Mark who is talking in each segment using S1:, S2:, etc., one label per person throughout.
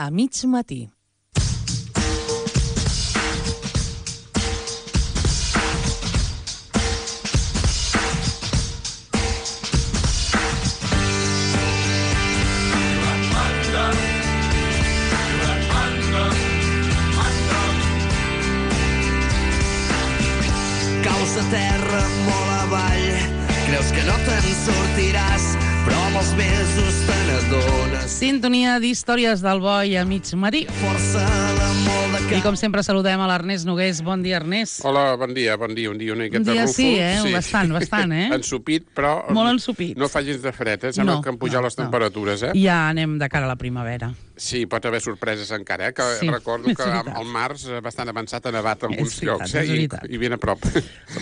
S1: a mig matí.
S2: Caus a terra molt avall, creus que no te'n sortiràs, però amb els mesos te n'adones.
S1: Sintonia d'històries del boi a mig matí.
S2: Força de molt de
S1: I com sempre saludem a l'Ernest Nogués. Bon dia, Ernest.
S3: Hola, bon dia. Un dia una miqueta
S1: Un dia
S3: rúfol.
S1: sí, bastant, eh?
S3: Ensupit, però...
S1: Molt ensupit.
S3: No fa gens de fred, eh? Sembla que han pujat les temperatures, eh?
S1: Ja anem de cara a la primavera.
S3: Sí, pot haver sorpreses encara, eh? Que
S1: Sí,
S3: recordo
S1: és
S3: que
S1: veritat.
S3: al març bastant avançat ha nevat en alguns
S1: És veritat,
S3: llocs,
S1: és veritat.
S3: I ben a prop.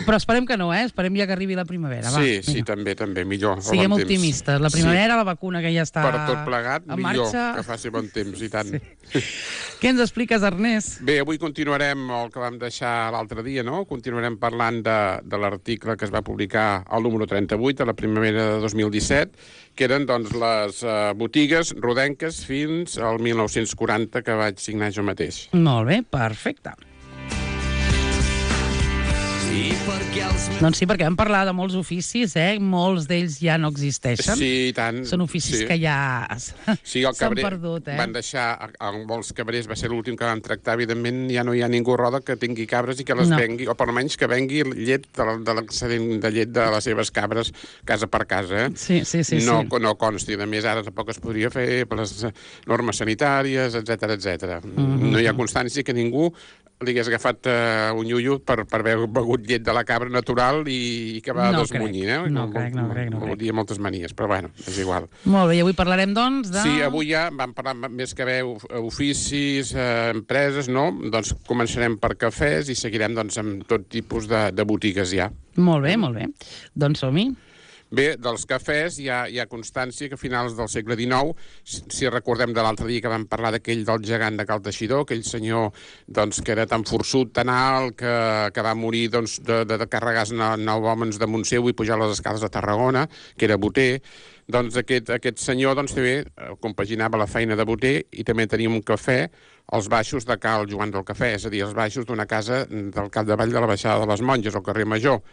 S1: Però esperem que no, eh? Esperem ja que arribi la primavera. Va,
S3: Sí,
S1: vinga.
S3: també, millor.
S1: Siguem
S3: bon temps.
S1: optimistes. La primavera, la vacuna que ja està
S3: Per tot plegat,
S1: en
S3: millor,
S1: marxa.
S3: que faci bon temps, i tant.
S1: Sí. Què ens expliques, Ernest?
S3: Bé, avui continuarem el que vam deixar l'altre dia, no? Continuarem parlant de l'article que es va publicar al número 38, a la primavera de 2017, que eren doncs, les botigues rodenques fins al 1940, que vaig signar jo mateix.
S1: Molt bé, perfecte.
S2: I perquè els meus...
S1: Doncs sí, perquè vam parlar de molts oficis, eh? Molts d'ells ja no existeixen.
S3: Sí, i tant.
S1: Són oficis que ja
S3: Sí, el
S1: s'han
S3: cabrer,
S1: perdut, eh?
S3: van deixar, molts cabrers, va ser l'últim que van tractar, evidentment ja no hi ha ningú roda que tingui cabres i que les vengui, o per almenys que vengui llet de l'excedent de llet de les seves cabres casa per casa, eh?
S1: Sí.
S3: No consti, a més ara tampoc es podria fer per les normes sanitàries, etc. No hi ha constància que ningú li hagués agafat un iullo per haver begut llet de la cabra natural i que va desmunyint, eh?
S1: No crec.
S3: Hi ha moltes manies, però bueno, és igual.
S1: Molt bé, i avui parlarem, doncs, de...
S3: Sí, avui ja vam parlar més que bé oficis, empreses, no? Doncs començarem per cafès i seguirem doncs, amb tot tipus de botigues ja.
S1: Molt bé. Doncs som-hi.
S3: Bé, dels cafès hi ha constància que a finals del segle XIX, si recordem de l'altre dia que vam parlar d'aquell del gegant de Cal Teixidor, aquell senyor doncs, que era tan forçut, tan alt, que va morir doncs, de carregar 9 homes damunt seu i pujar les escales de Tarragona, que era boter, doncs aquest senyor doncs, també compaginava la feina de boter i també tenia un cafè als baixos de Cal Joan del Cafè, és a dir, als baixos d'una casa del capdavall de la Baixada de les Monges, al carrer Major.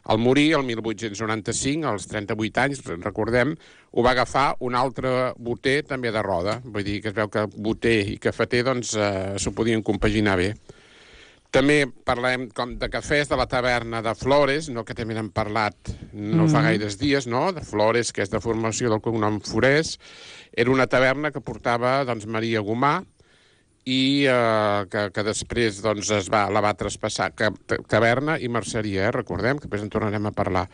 S3: Al morir, el 1895, als 38 anys, recordem, ho va agafar un altre boter també de roda. Vull dir que es veu que boter i cafeter doncs, s'ho podien compaginar bé. També parlem com de cafès de la taverna de Flores, no, que també n'hem parlat no fa gaires dies, no? De Flores, que és de formació del cognom Forés. Era una taverna que portava doncs, Maria Gomà, i que després doncs, la va traspassar taverna i merceria, recordem, que després en tornarem a parlar.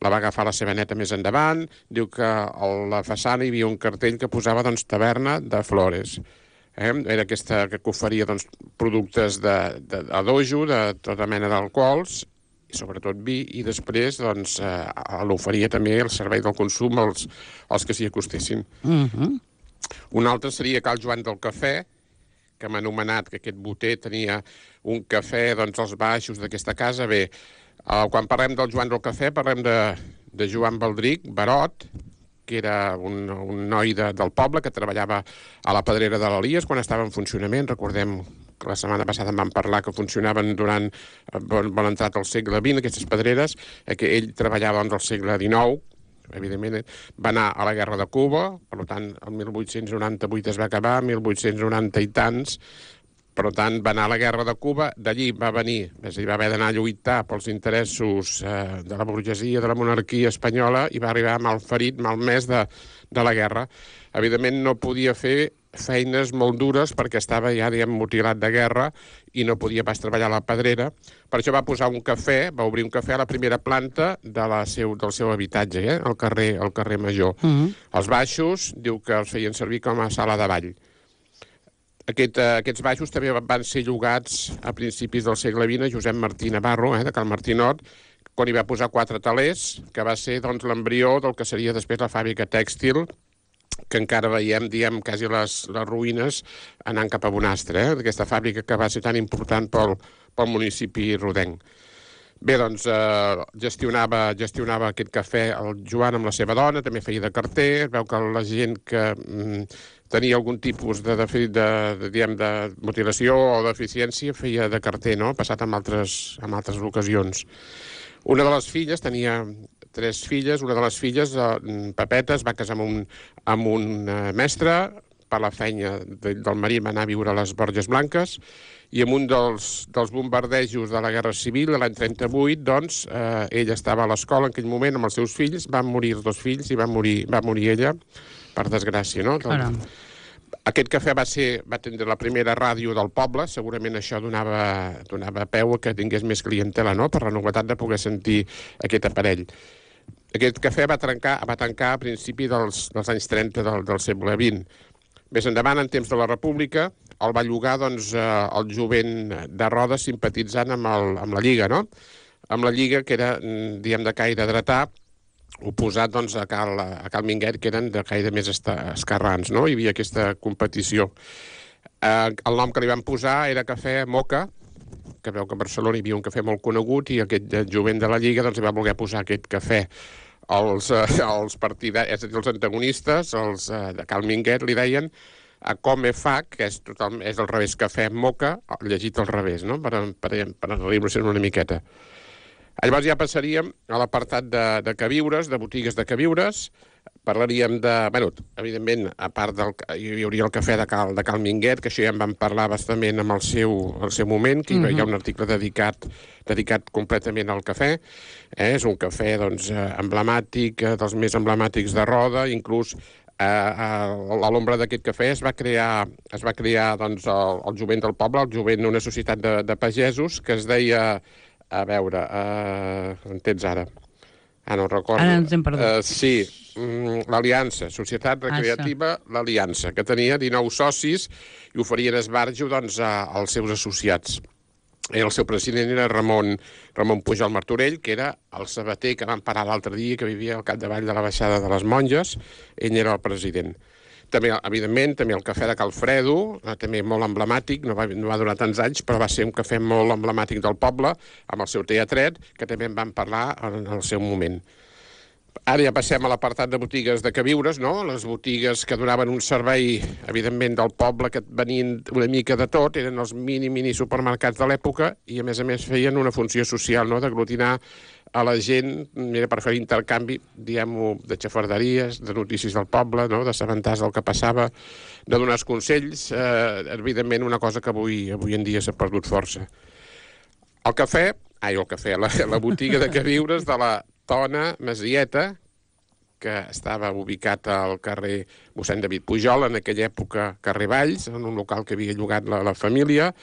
S3: La va agafar la seva neta més endavant, diu que a la façana hi havia un cartell que posava doncs, taverna de Flores. Era aquesta que oferia doncs, productes d'adojo, de tota mena d'alcohols, i sobretot vi, i després doncs, l'oferia també el servei del consum als que s'hi acostessin. Un altre seria Cal Joan del Cafè, que m'ha anomenat que aquest boter tenia un cafè doncs, als baixos d'aquesta casa. Bé, quan parlem del Joan del Cafè, parlem de Joan Baldric, Barot, que era un noi del poble que treballava a la pedrera de l'Elies quan estava en funcionament. Recordem que la setmana passada en vam parlar que funcionaven durant bon entrat al segle XX, aquestes pedreres, que ell treballava doncs, al segle XIX. Evidentment, va anar a la Guerra de Cuba, per tant, el 1898 es va acabar, 1890 i tants, per tant, va anar a la Guerra de Cuba, d'allí va venir, és a dir, va haver d'anar a lluitar pels interessos de la burgesia, de la monarquia espanyola, i va arribar malferit, malmès de la guerra. Evidentment, no podia fer feines molt dures perquè estava ja, diguem, mutilat de guerra i no podia pas treballar a la pedrera. Per això va posar un cafè, va obrir un cafè a la primera planta del seu habitatge, al carrer Major. Els baixos, diu que els feien servir com a sala de ball. Aquests baixos també van ser llogats a principis del segle XX a Josep Martí Navarro, de Cal Martinot, quan hi va posar 4 talers, que va ser doncs, l'embrió del que seria després la fàbrica tèxtil, que encara veiem, diguem, quasi les ruïnes anant cap a Bonastre, d'aquesta fàbrica que va ser tan important pel municipi rodenc. Bé, doncs gestionava aquest cafè el Joan amb la seva dona, també feia de carter, es veu que la gent que tenia algun tipus de mutilació o deficiència feia de carter, no? Passat en altres ocasions. Una de les filles, tenia 3 filles, una de les filles, Pepeta, es va casar amb un mestre, per la feina del marit va anar a viure a les Borges Blanques, i en un dels bombardejos de la Guerra Civil, l'any 38, doncs, ella estava a l'escola en aquell moment amb els seus fills, van morir els 2 fills i va morir ella, per desgràcia, no? Aquest cafè va tindre la primera ràdio del poble, segurament això donava peu a que tingués més clientela, no?, per la novetat de poder sentir aquest aparell. Aquest cafè va tancar a principi dels anys 30 del segle XX. Més endavant, en temps de la República, el va llogar doncs, el jovent de Rodes simpatitzant amb la Lliga, no? Amb la Lliga, que era, diguem, de caire dretà, oposat doncs, a Cal Minguet, que eren de caire més esquerrans, no? Hi havia aquesta competició. El nom que li van posar era Cafè Moca, que veu que a Barcelona hi havia un cafè molt conegut, i aquest jovent de la Lliga doncs, va voler posar aquest cafè. Els partidaris, és a dir, els antagonistes, els de Cal Minguet, li deien a Come Fa, que és al revés, Cafè Moca, llegit al revés, no?, per arribar-se'n una miqueta. Llavors ja passaríem a l'apartat de queviures, de botigues de queviures. Parlaríem de... Bueno, evidentment, a part hi hauria el cafè de Cal Minguet, que això ja en vam parlar bastament en el seu moment, que hi ha un article dedicat completament al cafè. És un cafè, doncs, emblemàtic, dels més emblemàtics de Roda, inclús a l'ombra d'aquest cafè es va crear doncs, el jovent del poble, el jovent d'una societat de pagesos, que es deia... A veure, entens ara? No recordo.
S1: Ara ens hem perdut.
S3: Sí, l'Aliança, Societat Recreativa, l'Aliança, que tenia 19 socis i oferien esbarjo doncs, als seus associats. El seu president era Ramon Pujol Martorell, que era el sabater que vam parar l'altre dia, que vivia al capdavall de la baixada de les Monges. Ell era el president. També, evidentment, també el cafè de Calfredo, també molt emblemàtic, no va durar tants anys, però va ser un cafè molt emblemàtic del poble, amb el seu teatret, que també en vam parlar en el seu moment. Ara ja passem a l'apartat de botigues de queviures, no? Les botigues que donaven un servei, evidentment, del poble, que venien una mica de tot, eren els mini supermercats de l'època, i a més feien una funció social, no?, d'aglutinar a la gent, per fer intercanvi, diguem-ho, de xafarderies, de notícies del poble, no?, d'assabentar-se del que passava, de donar consells, evidentment una cosa que avui en dia s'ha perdut força. La botiga de queviures de la Tona Masieta, que estava ubicat al carrer mossèn David Pujol, en aquella època carrer Valls, en un local que havia llogat la família.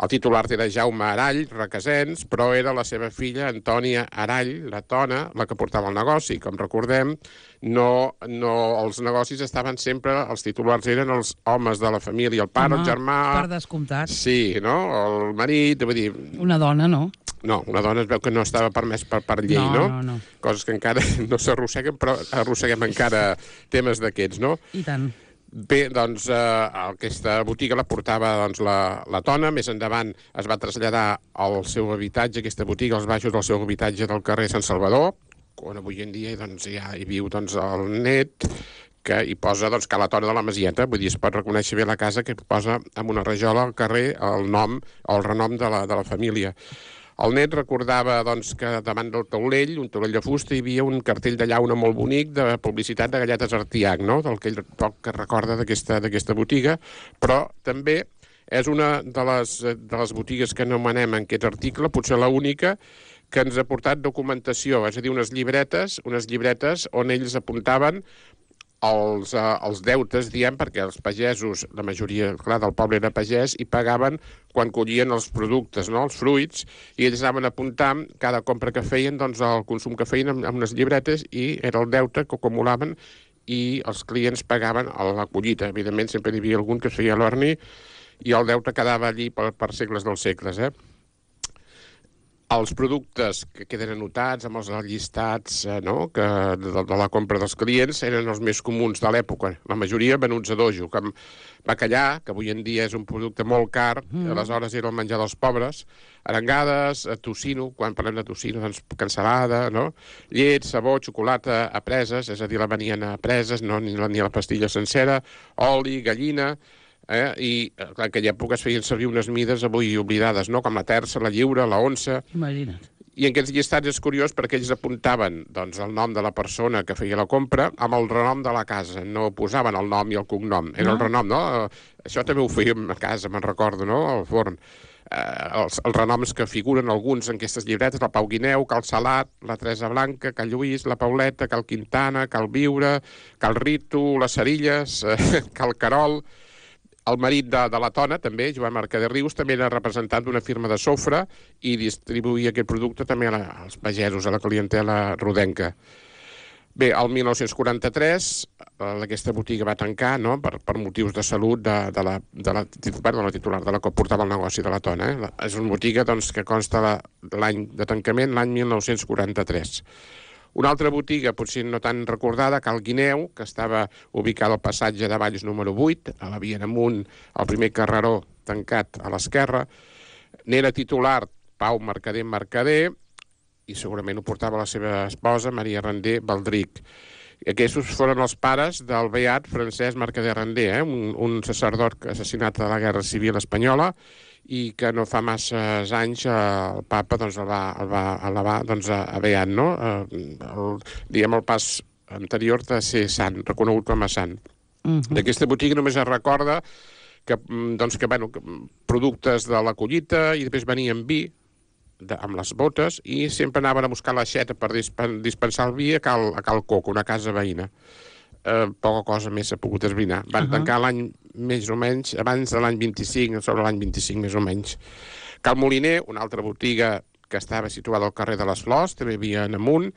S3: El titular era Jaume Arall, Requesens, però era la seva filla Antònia Arall, la Tona, la que portava el negoci. Com recordem, els negocis estaven sempre, els titulars eren els homes de la família, el pare, el germà...
S1: Per descomptat.
S3: Sí, no? El marit, vull dir...
S1: Una dona, no?
S3: No, una dona es veu que no estava permès per llei, no?
S1: No.
S3: Coses que encara no s'arrosseguen, però arrosseguem encara temes d'aquests, no?
S1: I tant.
S3: Bé, doncs, aquesta botiga la portava doncs, la Tona. Més endavant es va traslladar al seu habitatge, aquesta botiga, als baixos del seu habitatge del carrer Sant Salvador, on avui en dia doncs, ja hi viu doncs, el net, que hi posa doncs, Ca la Tona de la Masieta. Vull dir, es pot reconèixer bé la casa, que posa amb una rajola al carrer el nom o el renom de la família. El net recordava doncs, que davant del taulell, un taulell de fusta, hi havia un cartell de llauna molt bonic de publicitat de galletes Artiach, no?, del que ell que recorda d'aquesta botiga, però també és una de les botigues que anomenem en aquest article, potser l'única, que ens ha portat documentació, és a dir, unes llibretes on ells apuntaven els deutes, diem, perquè els pagesos, la majoria, clar, del poble era pagès, i pagaven quan collien els productes, no?, els fruits, i ells anaven apuntant cada compra que feien, doncs el consum que feien amb unes llibretes, i era el deute que acumulaven, i els clients pagaven a la collita. Evidentment, sempre hi havia algun que es feia l'orni, i el deute quedava allí per segles dels segles, Els productes que queden anotats amb els llistats no? de la compra dels clients eren els més comuns de l'època. La majoria venuts a dojo, com bacallà, que avui en dia és un producte molt car, aleshores era el menjar dels pobres, arengades, tocino, quan parlem de tocino, doncs cansalada, no? Llet, sabó, xocolata a preses, és a dir, la venien a preses, no? ni la pastilla sencera, oli, gallina... I en aquella època es feien servir unes mides avui oblidades, no? Com la terça, la lliura, la onça...
S1: Imagina't.
S3: I en aquests llistats és curiós perquè ells apuntaven doncs, el nom de la persona que feia la compra amb el renom de la casa, no posaven el nom i el cognom, era el renom, no? Això també ho fèiem a casa, me'n recordo, no? Al forn. Els renoms que figuren alguns en aquestes llibretes, la Pau Guineu, Cal Salat, la Teresa Blanca, Cal Lluís, la Pauleta, Cal Quintana, Cal Viure, Cal Ritu, les Cerilles, Cal Carol... El marit de la Tona, també, Joan Mercader Rius, també era representant d'una firma de sofre i distribuïa aquest producte també als pagesos, a la clientela rodenca. Bé, el 1943 aquesta botiga va tancar, no?, per motius de salut de la titular, de la que portava el negoci de la Tona. És una botiga doncs, que consta l'any de tancament, l'any 1943. Una altra botiga, potser no tan recordada, Cal Guineu, que estava ubicada al passatge de Valls número 8, a la via amunt, al primer carreró tancat a l'esquerra. N'era titular Pau Mercader, i segurament ho portava la seva esposa, Maria Rendé Baldric. Aquests foren els pares del beat Francesc Mercader Rendé, un sacerdot assassinat a la Guerra Civil Espanyola, i que no fa massa anys el papa doncs, el va elevar doncs, a beat, no? Diguem el pas anterior de ser sant, reconegut com a sant. D'aquesta botiga només es recorda que productes de la collita i després venien vi amb les botes i sempre anaven a buscar l'aixeta per dispensar el vi a Cal Coco, una casa veïna. Poca cosa més s'ha pogut esbrinar. Van tancar l'any més o menys, abans de l'any 25, sobre l'any 25 més o menys. Cal Moliner, una altra botiga que estava situada al carrer de les Flors, també havia en amunt,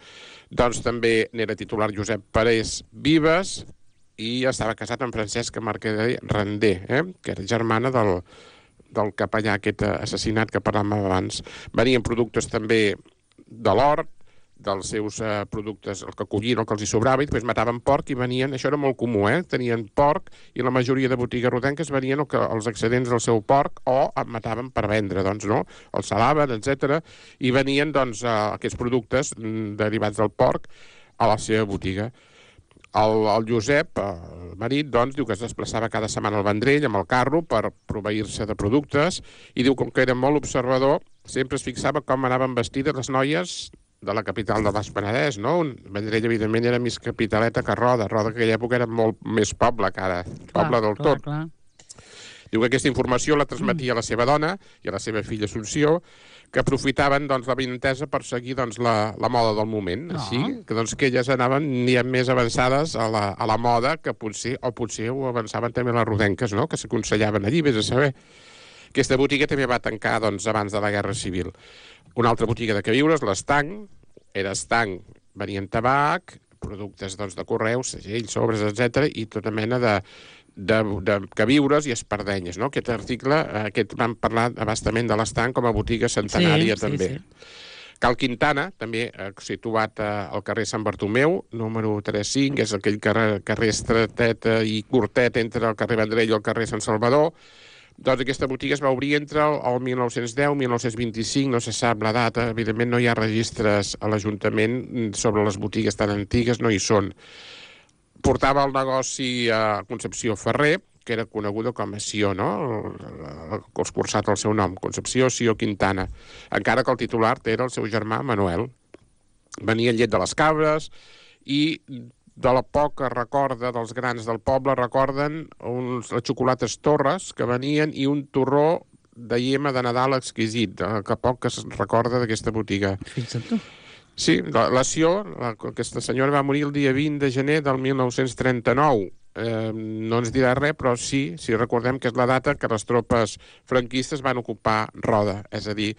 S3: doncs també n'era titular Josep Parés Vives i estava casat amb Francesca Mercader Rendé, que era germana del capellà aquest assassinat que parlàvem abans. Venien productes també de l'hort, dels seus productes, el que collien, el que els hi sobrava, i després mataven porc i venien, això era molt comú, tenien porc i la majoria de botigues rodenques venien els excedents del seu porc o mataven per vendre, doncs, no? Els salaven, etc. I venien, doncs, aquests productes derivats del porc a la seva botiga. El Josep, el marit, doncs, diu que es desplaçava cada setmana al Vendrell amb el carro per proveir-se de productes i diu com que era molt observador, sempre es fixava com anaven vestides les noies de la capital del Baix Penedès, no? Vendrell, evidentment, era més capitaleta que Roda. Roda, que en aquella època, era molt més poble que ara. Poble del tot.
S1: Clar.
S3: Diu que aquesta informació la transmetia a la seva dona i a la seva filla Assumpció, que aprofitaven doncs, la vinentesa per seguir doncs, la moda del moment. Així que, doncs, que elles anaven més avançades a la moda que potser ho avançaven també les rodenques, no? Que s'aconsellaven allí, vés a saber. Aquesta botiga també va tancar doncs, abans de la Guerra Civil. Una altra botiga de queviures, l'Estanc, era estanc, venien tabac, productes doncs, de correus, segells, sobres, etc. i tota mena de queviures i espardenyes, no? Aquest article, vam parlar abastament de l'Estanc com a botiga centenària també. Cal Quintana, també situat al carrer Sant Bartomeu, número 35, és aquell carrer estretet i curtet entre el carrer Vendrell i el carrer Sant Salvador. Doncs aquesta botiga es va obrir entre el 1910 i 1925, no se sap la data, evidentment no hi ha registres a l'Ajuntament sobre les botigues tan antigues, no hi són. Portava el negoci a Concepció Ferrer, que era coneguda com a Sió, no? El cursat el seu nom, Concepció Sió Quintana, encara que el titular era el seu germà Manuel. Venia llet de les cabres i de la poca recorda dels grans del poble, recorden les xocolates Torres que venien i un torró de lliema de Nadal exquisit, que poc es recorda d'aquesta botiga.
S1: Fixa't tu.
S3: Sí, la Sió, aquesta senyora va morir el dia 20 de gener del 1939. no ens dirà res, però sí, recordem que és la data que les tropes franquistes van ocupar Roda, és a dir,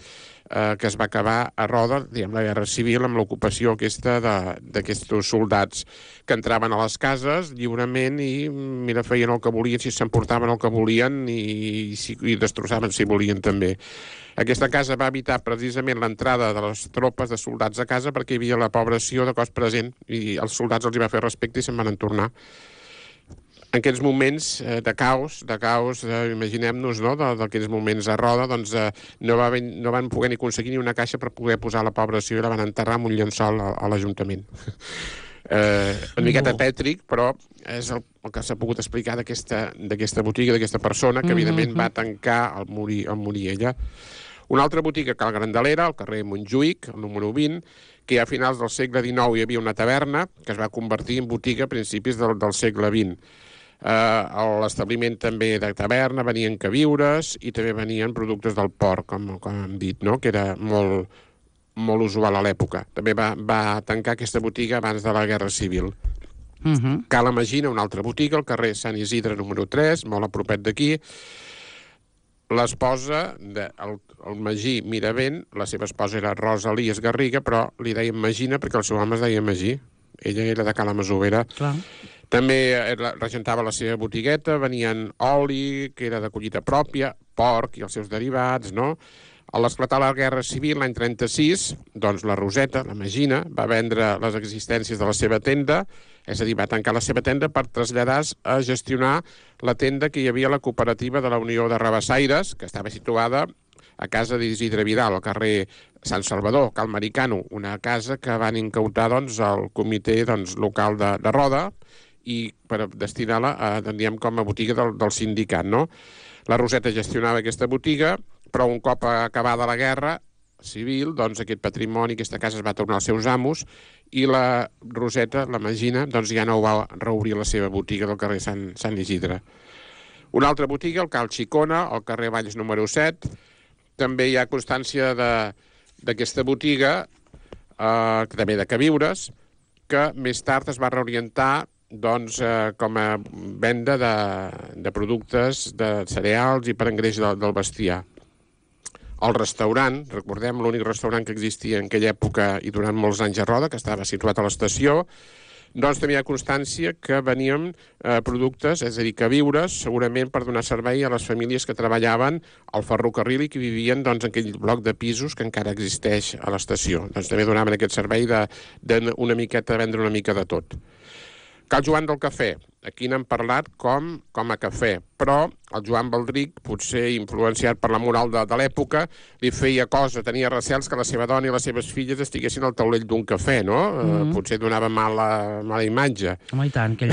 S3: que es va acabar a Roda, diguem, la Guerra Civil, amb l'ocupació aquesta d'aquests soldats que entraven a les cases lliurement i, mira, feien el que volien, si s'emportaven el que volien i destrossaven si volien també. Aquesta casa va evitar precisament l'entrada de les tropes de soldats a casa perquè hi havia la població de cos present i els soldats els hi va fer respecte i se'n van tornar. En aquests moments de caos, imaginem-nos, no?, d'aquests moments a Roda, doncs no van poder ni aconseguir ni una caixa per poder posar la població i la van enterrar amb un llençol a l'Ajuntament. Una miqueta tètric, però és el que s'ha pogut explicar d'aquesta botiga, d'aquesta persona, que evidentment va tancar al morir ella. Una altra botiga que al Grandelera, al carrer Montjuïc, el número 20, que ja a finals del segle XIX hi havia una taverna que es va convertir en botiga a principis del segle XX. A l'establiment també de taverna venien queviures i també venien productes del porc, com hem dit, no?, que era molt, molt usual a l'època. També va tancar aquesta botiga abans de la Guerra Civil. Cala Magina, una altra botiga, al carrer Sant Isidre número 3, molt a propet d'aquí. L'esposa del Magí Miravent, la seva esposa era Rosa Elies Garriga, però li deien Magina perquè el seu home es deia Magí. Ella era de Cala Masovera. Clar. També regentava la seva botigueta, venien oli, que era de collita pròpia, porc i els seus derivats, no? A l'esclatar la Guerra Civil, l'any 36, doncs la Roseta, la Magina, va vendre les existències de la seva tenda, és a dir, va tancar la seva tenda per traslladar-se a gestionar la tenda que hi havia a la cooperativa de la Unió de Rabassaires, que estava situada a casa d'Isidre Vidal, al carrer Sant Salvador, Cal Maricano, una casa que van incautar doncs, el comitè local de Roda i per destinar-la com a botiga del sindicat, no? La Roseta gestionava aquesta botiga, però un cop acabada la guerra civil, doncs aquest patrimoni, aquesta casa es va tornar als seus amos i la Roseta, la Magina, doncs ja no va reobrir la seva botiga del carrer Sant Isidre. Una altra botiga, el Cal Xicona, al carrer Valls número 7, també hi ha constància d'aquesta botiga, també de queviures, que més tard es va reorientar doncs, com a venda de productes de cereals i per engreix del bestiar. El restaurant, recordem, l'únic restaurant que existia en aquella època i durant molts anys a Roda, que estava situat a l'estació, doncs també hi ha constància que venien productes, és a dir, queviures, segurament per donar servei a les famílies que treballaven al ferrocarril i que vivien en aquell bloc de pisos que encara existeix a l'estació. Doncs també donaven aquest servei de vendre una mica de tot. Cal Joan del Cafè, aquí n'hem parlat com a cafè, però el Joan Baldric, potser influenciat per la moral de l'època, li feia cosa, tenia recels que la seva dona i les seves filles estiguessin al taulell d'un cafè, no? Potser donava mala imatge.
S1: Home, i tant, que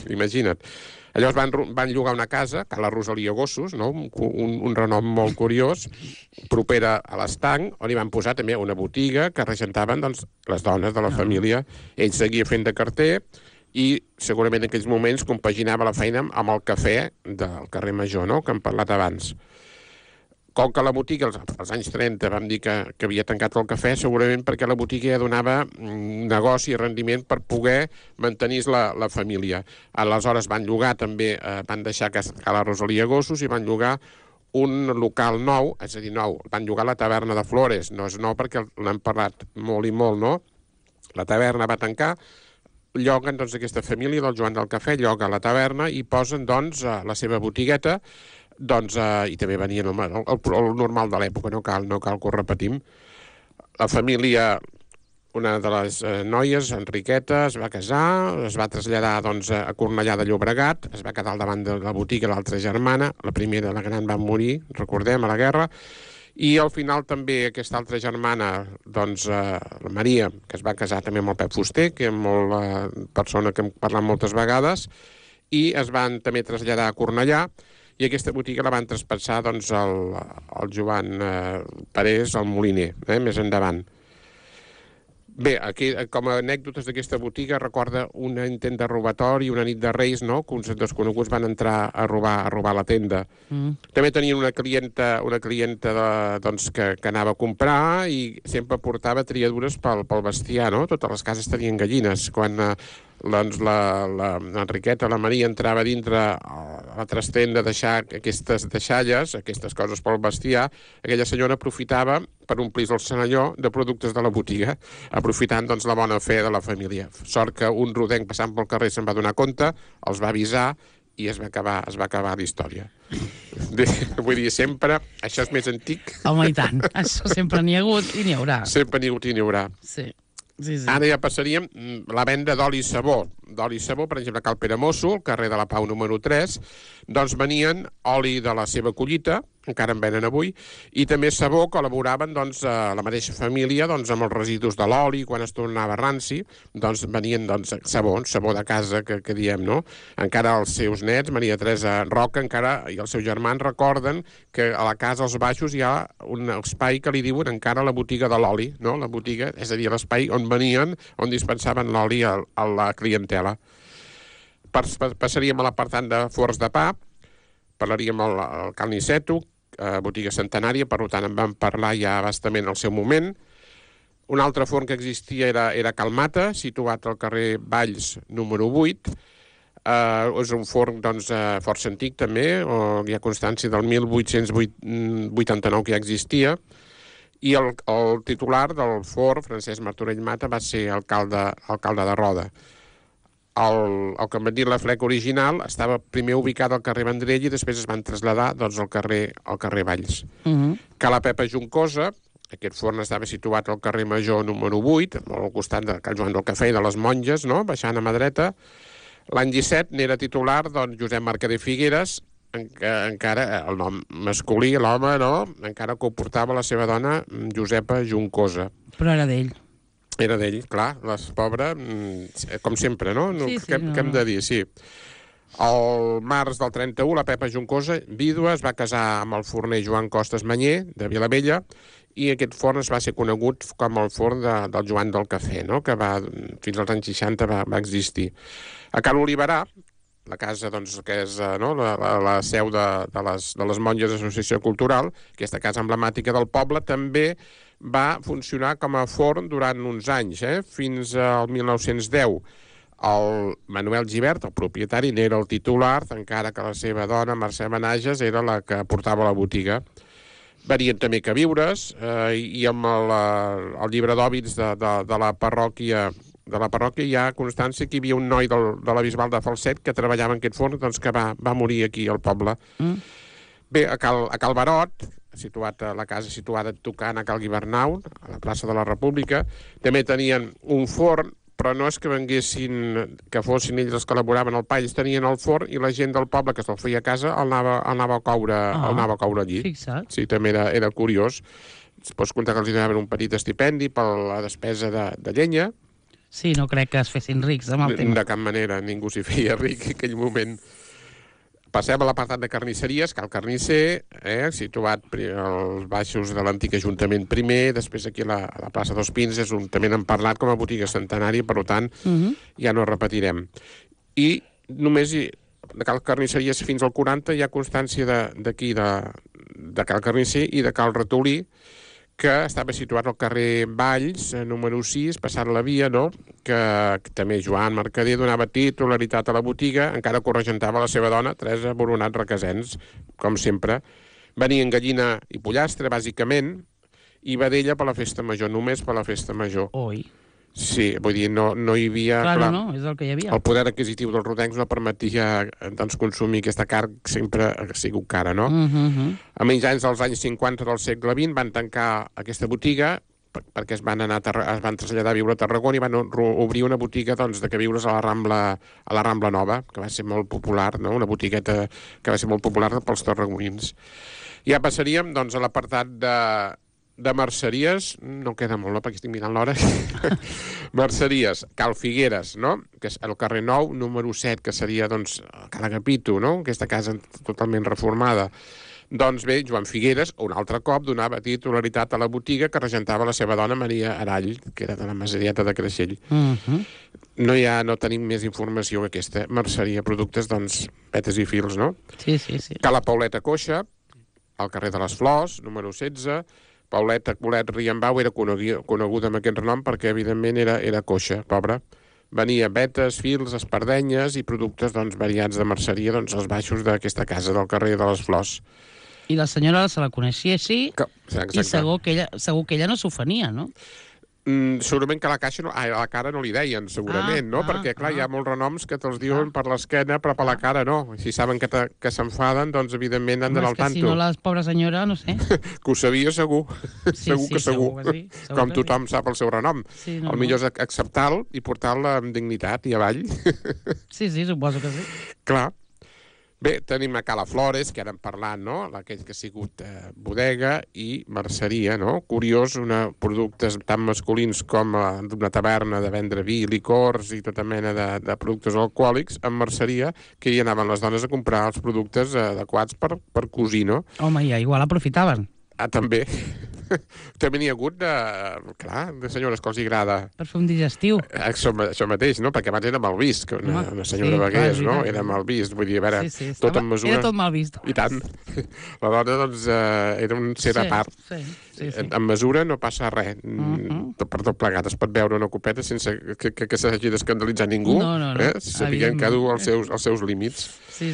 S3: imagina't. Llavors van llogar una casa, Cala Rosalia Gossos, no? Un renom molt curiós, propera a l'estanc, on hi van posar també una botiga que regentaven les dones de la família. Ell seguia fent de carter i segurament en aquells moments compaginava la feina amb el cafè del carrer Major, no?, que hem parlat abans. Com que la botiga, als anys 30, vam dir que havia tancat el cafè, segurament perquè la botiga ja donava negoci i rendiment per poder mantenir la família. Aleshores van llogar també, van deixar Cala Rosalia Gossos i van llogar un local nou, és a dir, nou, van llogar la taverna de Flores. No és nou perquè l'hem parlat molt i molt, no? La taverna va tancar, lloguen aquesta família del Joan del Cafè, lloga la taverna i posen la seva botigueta i també venien el normal de l'època, no cal que ho repetim. La família, una de les noies, Enriqueta, es va casar, es va traslladar a Cornellà de Llobregat, es va quedar al davant de la botiga l'altra germana, la primera, la gran, va morir, recordem, a la guerra, i al final també aquesta altra germana, la Maria, que es va casar també amb el Pep Fuster, que és la persona que hem parlat moltes vegades, i es van també traslladar a Cornellà, i aquesta botiga la van traspassar al Joan Parés, al moliner, més endavant. Bé, aquí, com a anècdotes d'aquesta botiga, recorda un intent de robatori, una nit de Reis, no?, que uns desconeguts van entrar a robar la tenda. També tenien una clienta que anava a comprar i sempre portava triadures pel bestiar, no? Totes les cases tenien gallines. Quan doncs l'Enriqueta, la Maria, entrava dintre a la trastenda a deixar aquestes deixalles, aquestes coses pel bestiar, aquella senyora aprofitava per omplir el senalló de productes de la botiga, aprofitant doncs, la bona fe de la família. Sort que un rodenc passant pel carrer se'n va donar compte, els va avisar i es va acabar la història. Vull dir, sempre, això és més antic.
S1: Home, i tant, això sempre n'hi ha hagut i n'hi haurà.
S3: Sempre n'hi ha hagut i n'hi haurà.
S1: Sí.
S3: Ara ja passaríem la venda d'oli i sabó. D'oli i sabó, per exemple, a Cal Peramosso, al carrer de la Pau número 3, doncs venien oli de la seva collita, encara en venen avui, i també sabó que elaboraven doncs, la mateixa família doncs, amb els residus de l'oli, quan es tornava ranci, doncs venien doncs, sabó de casa, que diem, no? Encara els seus nets, Maria Teresa Roca, encara i els seus germans recorden que a la casa als baixos hi ha un espai que li diuen encara la botiga de l'oli, no? La botiga, és a dir, l'espai on venien, on dispensaven l'oli a la clientela. Passaríem a l'apartat de forns de pa, parlaríem al Cal Niceto, botiga centenària, per tant en vam parlar ja bastament al seu moment. Un altre forn que existia era Cal Mata, situat al carrer Valls número 8. És un forn doncs, força antic també, hi ha constància del 1889 que ja existia, i el titular del forn, Francesc Martorell Mata, va ser alcalde de Roda. El que em van dir la fleca original estava primer ubicat al carrer Vendrell i després es van traslladar doncs, al carrer Valls. Ca la Pepa Juncosa, aquest forn estava situat al carrer Major número 8, al costat de Cal Joan del Cafè i de les Monges, no? Baixant a mà dreta. L'any 17 n'era titular doncs, Josep Mercader Figueres, encara el nom masculí, l'home, no? Encara que ho portava la seva dona, Josepa Juncosa.
S1: Però era d'ell.
S3: Era d'ell, clar, pobre, com sempre, no?
S1: Sí,
S3: Què hem de dir? Sí. Al març del 31, la Pepa Juncosa, vídua, es va casar amb el forner Joan Costes Manyer, de Vilavella, i aquest forn es va ser conegut com el forn del Joan del Cafè, no? Que fins als anys 60 va existir. A Cal Oliverà, la casa doncs, que és no? la seu de les Monges d'Associació Cultural, aquesta casa emblemàtica del poble, també va funcionar com a forn durant uns anys, fins al 1910. El Manuel Gibert, el propietari, n'era el titular, encara que la seva dona, Mercè Menages, era la que portava la botiga. Venien també queviures, i amb el llibre d'hòbits de la parròquia hi ha constància que hi havia un noi de la Bisbal de Falset que treballava en aquest forn, doncs que va morir aquí al poble. Bé, a Cal Barot, la casa situada tocant a Cal Guibernau, a la plaça de la República, també tenien un forn, però no és que fossin ells els que elaboraven el pa, ells tenien el forn i la gent del poble que se'l feia a casa el anava a coure allí.
S1: Fixa't.
S3: Sí, també era curiós. Es pots comptar que els donaven un petit estipendi per la despesa de llenya.
S1: Sí, no crec que es fessin rics amb el tema.
S3: De cap manera, ningú s'hi feia ric en aquell moment. Passem a l'apartat de carnisseries, Cal Carnisser, situat als baixos de l'antic Ajuntament primer, després aquí a la plaça dels Pins, també n'hem parlat com a botiga centenària, per tant, ja no repetirem. I només de Cal Carnisseries fins al 40 hi ha constància d'aquí, de Cal Carnisser i de Cal Ratolí, que estava situat al carrer Valls, número 6, passant la via, no? Que també Joan Mercader donava titularitat a la botiga, encara que ho regentava la seva dona, Teresa Boronat Requesens, com sempre. Venien gallina i pollastre, bàsicament, i vedella per la festa major, només per la festa major.
S1: Oi.
S3: Sí, vull dir, no hi havia...
S1: Clar, no, és el que hi havia.
S3: El poder adquisitiu dels rodencs no permetia doncs, consumir aquesta carn sempre ha sigut cara, no? A menys anys dels anys 50 del segle XX van tancar aquesta botiga perquè es van traslladar a viure a Tarragona i van obrir una botiga doncs, de queviures a la Rambla Nova, que va ser molt popular, no? Una botigueta que va ser molt popular pels tarragonins. Ja passaríem doncs, a l'apartat de merceries, no queda molt, no? Perquè estic mirant l'hora. Merceries, Cal Figueres, no? Que és el carrer Nou, número 7, que seria, doncs, Cal Agapito, no? Aquesta casa totalment reformada. Doncs bé, Joan Figueres, un altre cop, donava titularitat a la botiga que regentava la seva dona Maria Arall, que era de la Maserieta de Creixell. No tenim més informació que aquesta merceria, productes, doncs, petes i fils, no?
S1: Sí.
S3: Cal la Pauleta Coixa, al carrer de les Flors, número 16, Pauleta Colet Riambau era coneguda amb aquest nom perquè, evidentment, era coixa, pobra. venia vetes, fils, espardenyes i productes doncs, variats de merceria doncs, als baixos d'aquesta casa del carrer de les Flors.
S1: I la senyora se la coneixia així
S3: Exacte.
S1: i segur que ella no s'ofenia, no?
S3: Segurament que a la cara no li deien, segurament, no? Perquè, clar, hi ha molts renoms que te'ls diuen per l'esquena, però per la cara no. Si saben que s'enfaden, doncs, evidentment, han d'anar al tanto.
S1: Si no, la pobra senyora, no sé.
S3: Que ho sabia, segur. Segur que segur. Com tothom sap el seu renom. El millor és acceptar-lo i portar-lo amb dignitat i avall.
S1: Sí, suposo que sí.
S3: Clar. Bé, tenim a Cala Flores, que ara hem parlat, no? Aquell que ha sigut bodega i merceria, no? Curiós, productes tan masculins com d'una taverna de vendre vi, licors i tota mena de productes alcohòlics, en merceria, que hi anaven les dones a comprar els productes adequats per cosir, no?
S1: Home, ja igual aprofitaven.
S3: També. També n'hi ha hagut de senyores que els agrada...
S1: Per fer un digestiu.
S3: Això mateix, no? Perquè abans era mal vist, que una senyora begués, no? Era mal vist, vull dir, a veure, tot en mesura...
S1: Era tot mal vist.
S3: I tant. La dona, doncs, era un ser a part.
S1: Sí.
S3: En mesura no passa res. Per tot plegat es pot veure una copeta sense que s'hagi d'escandalitzar ningú.
S1: No.
S3: Sapiguem cada un els seus límits.
S1: Sí.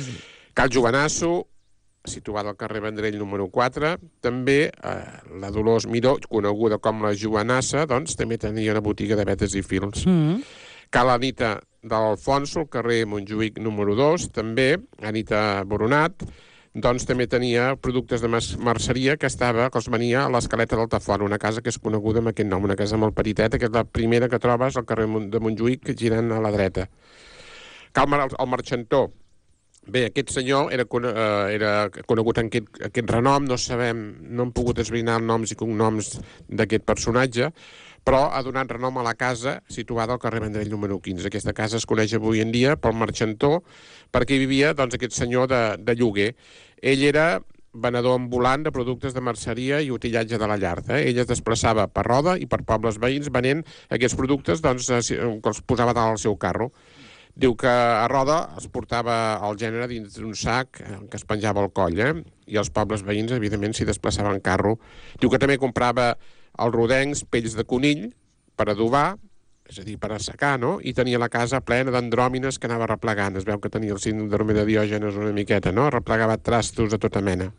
S3: Cal Jovanasso, situada al carrer Vendrell número 4. També la Dolors Miró, coneguda com la Joanassa, doncs també tenia una botiga de vetes i fils. Cal Anita d'Alfonso, al carrer Montjuïc número 2, també. Anita Boronat, doncs també tenia productes de merceria que els venia a l'Escaleta d'Altafont, una casa que és coneguda amb aquest nom, una casa molt petiteta, que és la primera que trobes al carrer de Montjuïc, girant a la dreta. Cal el Marxantó. Bé, aquest senyor era conegut en aquest renom, no hem pogut esbrinar els noms i cognoms d'aquest personatge, però ha donat renom a la casa situada al carrer Vendrell número 15. Aquesta casa es coneix avui en dia pel Marxantó, perquè hi vivia doncs, aquest senyor de lloguer. Ell era venedor ambulant de productes de merceria i utillatge de la llar. Ell es desplaçava per Roda i per pobles veïns venent aquests productes doncs, que els posava dalt al seu carro. Diu que a Roda es portava el gènere dins d'un sac que es penjava al coll, i els pobles veïns, evidentment, s'hi desplaçaven en carro. Diu que també comprava els rodencs, pells de conill, per adobar, és a dir, per assecar, no? I tenia la casa plena d'andròmines que anava replegant. Es veu que tenia el síndrome de Diògenes una miqueta, no? Replegava trastos de tota mena.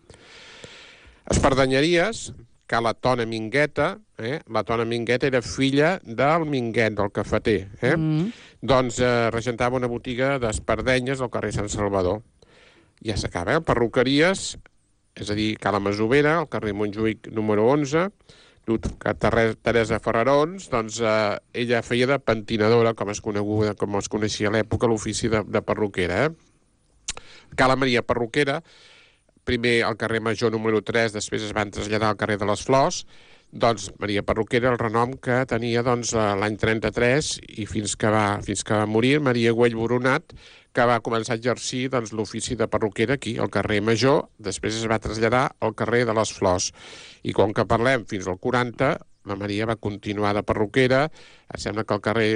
S3: Espardenyeries, que la Tona Mingueta, la Tona Mingueta era filla del Minguet, del cafeter, doncs regentava una botiga d'espardenyes al carrer Sant Salvador. Ja s'acaba, perruqueries, és a dir, Cala Masovera, al carrer Montjuïc número 11, Teresa Ferrarons, doncs ella feia de pentinadora, com es coneixia a l'època, l'ofici de perruquera. Cala Maria Perruquera, primer al carrer Major número 3, després es van traslladar al carrer de les Flors. Doncs Maria Perruquera, el renom que tenia doncs, l'any 33 i fins que va morir, Maria Güell Boronat, que va començar a exercir doncs, l'ofici de perruquera aquí, al carrer Major, després es va traslladar al carrer de les Flors. I com que parlem fins al 40, la Maria va continuar de perruquera, em sembla que al carrer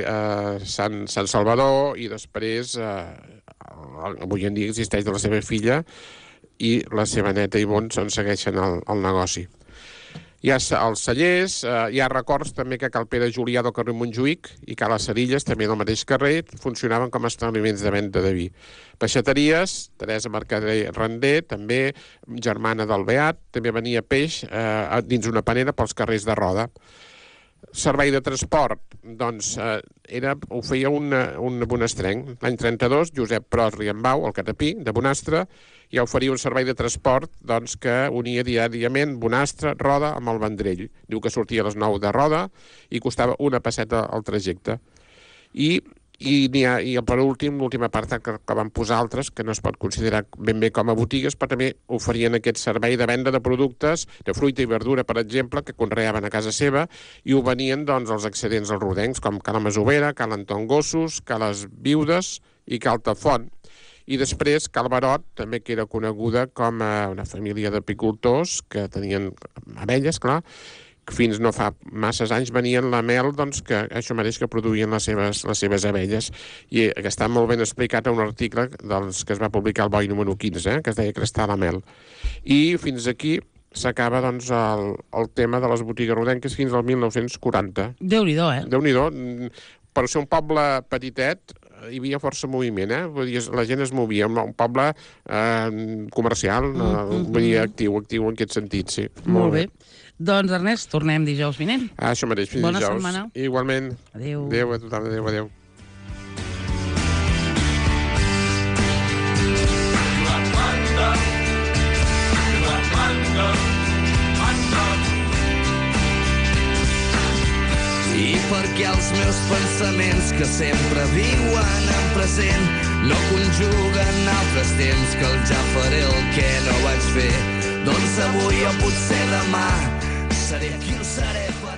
S3: Sant Salvador, i després, avui en dia existeix de la seva filla, i la seva neta Ivonne segueixen el negoci. Hi ha els cellers, hi ha records també que Cal Pere Julià del carrer Montjuïc i Cala Cerilles, també del mateix carrer, funcionaven com a establiments de venda de vi. Peixateries, Teresa Mercader Render, també germana del Beat, també venia peix dins una panera pels carrers de Roda. Servei de transport, doncs, ho feia un bonastrenc. L'any 32, Josep Pros Riambau, el catapí de Bonastre, ja oferia un servei de transport doncs, que unia diàriament Bonastre, Roda amb el Vendrell. Diu que sortia a les 9 de Roda i costava una pesseta al trajecte. I per últim, l'última part que van posar altres, que no es pot considerar ben bé com a botigues, però també oferien aquest servei de venda de productes, de fruita i verdura, per exemple, que conreaven a casa seva, i ho venien doncs, els excedents als rodencs, com Cala Masovera, Cal Anton Gossos, Cales Viudes i Cal Tafont. I després Cal Barot, també que era coneguda com una família d'apicultors que tenien abelles, clar, fins no fa masses anys venien la mel, doncs, que això mateix que produïen les seves abelles. I que està molt ben explicat a un article doncs, que es va publicar al Boi número 15, que es deia Crestar la mel. I fins aquí s'acaba doncs, el tema de les botigues rodenques fins al 1940.
S1: Déu-n'hi-do,
S3: Déu-n'hi-do. per ser un poble petitet, hi havia força moviment, Vull dir, la gent es movia, un poble comercial, vull dir, actiu en aquest sentit, sí.
S1: Molt bé. Doncs, Ernest, tornem dijous vinent.
S3: Això mateix, fins
S1: Bona
S3: dijous.
S1: setmana.
S3: Igualment.
S1: Adéu.
S3: Adéu a tothom, adéu.
S2: I perquè els meus pensaments que sempre viuen en present no conjuguen altres temps que el ja faré el que no vaig fer, doncs avui o potser demà seré qui ho seré per